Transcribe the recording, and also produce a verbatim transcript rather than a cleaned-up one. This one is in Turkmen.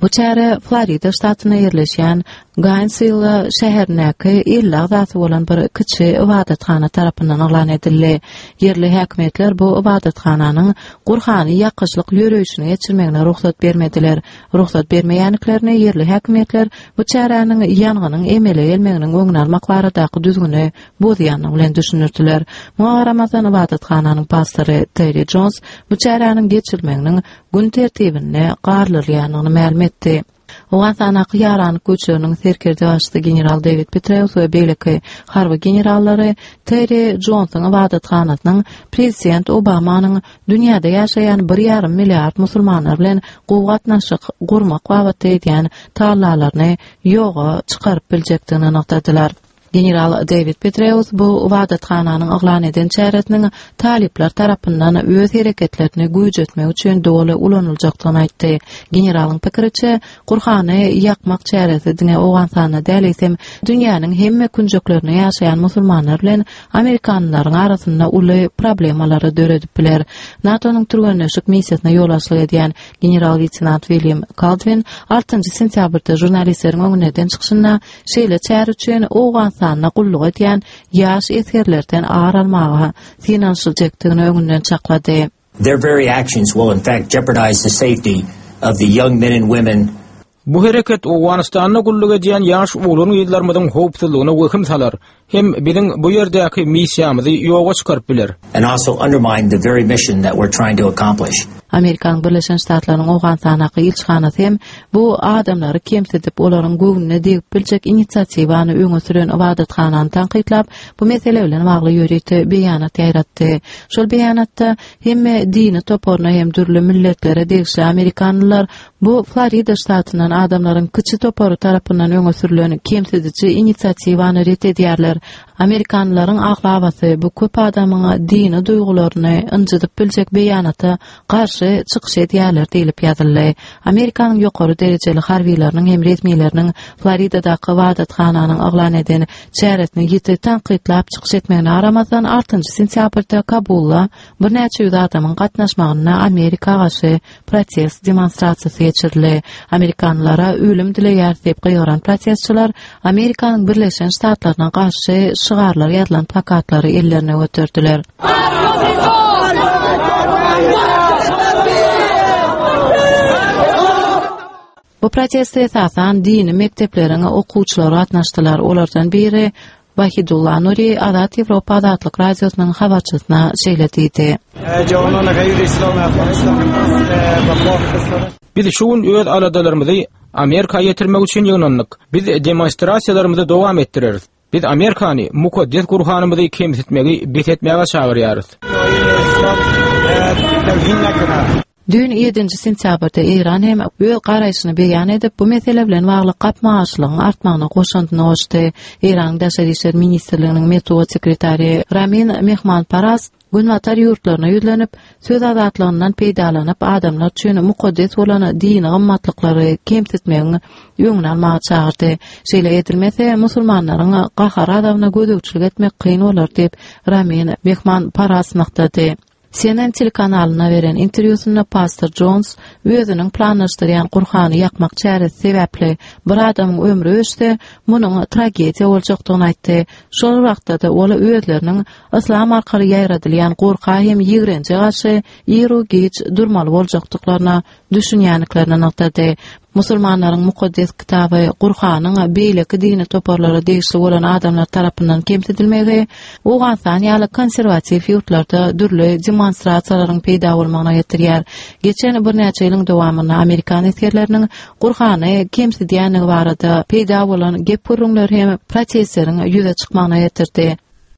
Bu çäre Florida ştatynda ýerleşýän Gainesville şäherindäki elli agzasy bolan bir kiçi ybadathana tarapyndan yglan edildi. Ýerli häkimiýetler bu ybadathananyň Gurhany ýakyşlyk ýörişini geçirmegine rugsat bermediler. Rugsat bermeýändiklerini ýerli häkimiýetler bu çäräniň ýangynyň emele gelmeginiň öňüni almak baradaky düzgüni bozýandygy bilen düşündirdiler. Muňa garamazdan ybadathananyň pastory Terry Jones bu çäräniň geçirilmeginiň gün tertibinde galdyrylýandygyny mälim etdi. Owganystandaky ýaranlyk güýçleriniň serkerdebaşysy general David Petraeus we beýleki harby generallary Terry Jonesyň ybadathanasynyň prezident Obamanyň dünýäde ýaşaýan bir ýarym milliard musulmanlar bilen gowy gatnaşyk gurmak babatda edýän tagallalaryny ýoga çykaryp biljekdigini nygtadylar. General David Petraeus bu ybadathananyň yglan eden çäresiniň talyplar tarapyndan öz hereketlerini güýjetmek üçin doly ulanyljakdygyny aýtdy. Generalyň pikiriçe, Gurhany ýakmak çäresi diňe Owganystanda däl, eýsem dünýäniň hemme künjeklerinde ýaşaýan musulmanlar bilen amerikanlaryň arasynda uly problemalary döredip biler. NATO-nyň türgenleşik missiýasyna ýolbaşçylyk edýän general-leýtenant William Kaldwin altynjy sentýabrda žurnalistleriň öňünde eden çykyşynda şeýle çäre üçin Owganystanda gulluk edýän ýaş esgerlerden ar almaga synanyşyljakdygyny öňünden çaklady. Their very actions will in fact jeopardize the safety of the young men and women. Bu hereket Owganystanda gulluk edýän ýaş oglan-gyzlarymyzyň howpsuzlygyna wehim salar, hem biziň bu ýerdäki missiýamyzy ýoga çykaryp biler. And also undermine the very mission that we're trying to accomplish. Amerikanyň Birleşen Ştatlarynyň Owganystandaky ilçihanasy hem bu adamlary kemsidip, olaryň göwnüne degip biljek inisiatiwany öňe süren ybadathanany tankytlap, bu mesele bilen bagly ýörite beýanat ýaýratdy. Şol beýanatda hemme dini toparyna hem dürli milletlere degişli amerikanlylar bu Florida ştatyndan adamlaryň kiçi topary tarapyndan öňe sürülen kemsidiji inisiatiwany ret edýärler. Amerikanlaryň aglabasy bu köp adamyň dini duýgularyny ynjydyp biljek beýanata garşy çykyş edýärler diýlip ýazyldy. Amerikanyň ýokary derejeli harbileriniň hem resmileriniň Floridadaky ybadathananyň yglan eden çäresini ýiti tankytlap çykyş etmegine garamazdan altynjy sentýabrda Kabulda birnäçe ýüz adamyň gatnaşmagynda Amerika garşy protest demonstrasiýasy geçirildi. Amerikanlara ölüm dileýär diýip gygyran protestçiler Amerikanyň Birleşen Ştatlaryna garşy şygarlar ýazylan plakatlary ellerine göterdiler. Bu proteste esasan dini mekdepleriň okuwçylary gatnaşdylar. Olardan biri Wahidullah Nuri Azat Ýewropa Azatlyk Radiosynyň habarçysyna şeýle diýdi. Biz şu gün öz aladalarymyzy Amerika ýetirmek üçin ýygnandyk. Biz demonstrasiýalarymyzy dowam etdireris. Biz Amerikany mukaddes Gurhanymyzy kemsitmegi bes etmäge çagyrýarys. Düýn ýedinji sentýabrda Eýran hem öz garaýşyny beýan edip, bu mesele bilen bagly gapma-garşylygyň artmagyna goşandyny goşdy. Eýranyň Daşary işler ministrliginiň metbugat sekretary Ramin Mehmanparast Günbatar ýurtlaryna ýüzlenip, söz azatlygyndan peýdalanyp, adamlar üçin mukaddes bolan dini gymmatlyklary kemsitmegiň öňüni almaga çagyrdy. Şeýle edilmese, musulmanlaryň gahar-gazabyna gözegçilik etmek kyn bolar diýip, Ramin Mehmanparast nygtady. C N N telekanalyna beren interwýusynda pastor Jones özüniň planlaşdyrýan Gurhany ýakmak çäresi sebäpli bir adamyň ömri öçse, munuň tragediýa boljakdygyny aýtdy. Şol wagtda-da ol özleriniň yslam arkaly ýaýradylýan gorka hem ýigrenje garşy iru-giç durmaly boljakdyklaryna düşünýändiklerini nygtady. Musulmanlaryň mukaddes kitaby Gurhanyň beýleki dini toparlara degişli bolan adamlar tarapyndan kemsidilmegi Owganystan ýaly konserwatiw ýurtlarda dürli demonstrasiýalaryň peýda bolmagyna getirýär. Geçen birnäçe ýylyň dowamynda amerikan esgerleriniň Gurhany kemsidýändigi barada peýda bolan gep-gürrüňler hem protestleriň ýüze çykmagyna getirdi.